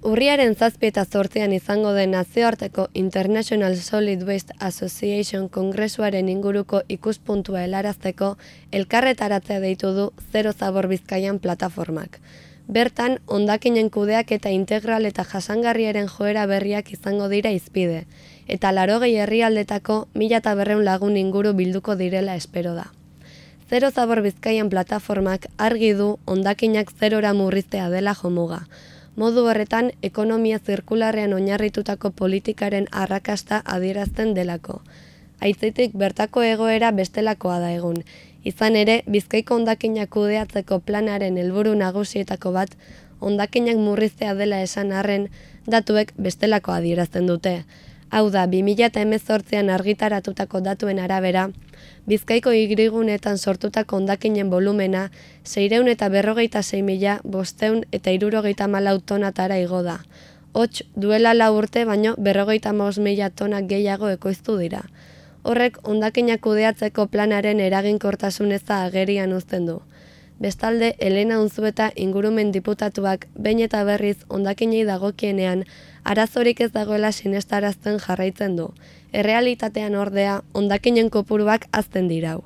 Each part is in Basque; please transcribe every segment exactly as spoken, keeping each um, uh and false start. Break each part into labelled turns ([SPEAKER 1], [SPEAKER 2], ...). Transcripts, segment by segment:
[SPEAKER 1] Urriaren zazpi eta zortzian izango den nazioarteko International Solid Waste Association kongresuaren inguruko ikuspuntua helarazteko elkarretaratzea deitu du Zero Zabor Bizkaian plataformak. Bertan, hondakinen kudeaketa integral eta jasangarriaren joera berriak izango dira hizpide, eta laurogei herrialdetako mila eta berrehun lagun inguru bilduko direla espero da. Zero Zabor Bizkaian plataformak argi du hondakinak zerora murriztea dela jomuga. Modu horretan, ekonomia zirkularrean oinarritutako politikaren arrakasta adierazten delako. Aitzitik bertako egoera bestelakoa da egun. Izan ere, Bizkaiko hondakinak kudeatzeko planaren helburu nagusietako bat, hondakinak murriztea dela esan arren, datuek bestelako adierazten dute. Hau da, bi mila hemezortzian argitaratutako datuen arabera, Bizkaiko hiriguneetan sortutako hondakinen volumena seiehun eta berrogeita sei mila bostehun eta hirurogeita hamalau tonatara igo da. Hots, duela lau urte baino berrogeita hamabost mila tona gehiago ekoiztu dira. Horrek hondakinak kudeatzeko planaren eraginkortasun eza agerian uzten du. Bestalde, Elena Unzueta ingurumen diputatuak behin eta berriz hondakinei dagokienean arazorik ez dagoela sinestarazten jarraitzen du. Errealitatean ordea, hondakinen kopuruak hazten dirau.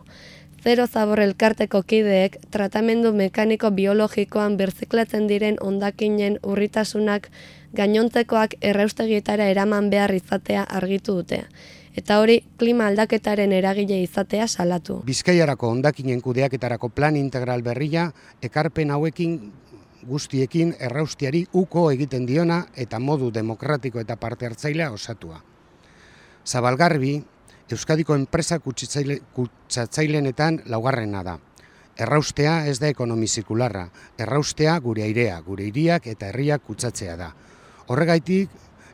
[SPEAKER 1] Zero Zabor elkarteko kideek tratamendu mekaniko biologikoan birziklatzen diren hondakinen urritasunak gainontzekoak erraustegietara eraman behar izatea argitu dute. Eta hori, klima aldaketaren eragile izatea salatu.
[SPEAKER 2] Bizkaiarako hondakinen kudeaketarako plan integral berria, ekarpen hauekin guztiekin erraustiari uko egiten diona eta modu demokratiko eta parte hartzailea osatua. Zabalgarbi, Euskadiko enpresa kutsatzailenetan laugarrena da. Erraustea ez da ekonomi zirkularra, erraustea gure airea, gure hiriak eta herriak kutsatzea da. Horregaitik,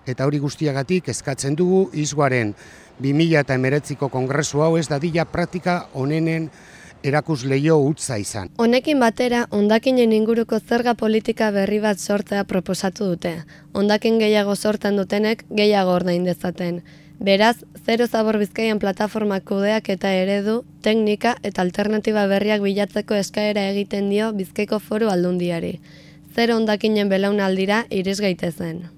[SPEAKER 2] eta hori guztiagatik eskatzen dugu izguaren bi mila hemeretziko kongresu hau ez dadila praktika onenen erakusleio utza izan.
[SPEAKER 1] Honekin batera, hondakinen inguruko zerga politika berri bat sortzea proposatu dute. Hondakin gehiago sortzen dutenek gehiago ordain dezaten. Beraz, Zero Zabor Bizkaian plataformak kudeak eta eredu, teknika eta alternatiba berriak bilatzeko eskaera egiten dio Bizkaiko Foru Aldundiari. Zero hondakinen belaunaldira iris gaitezen.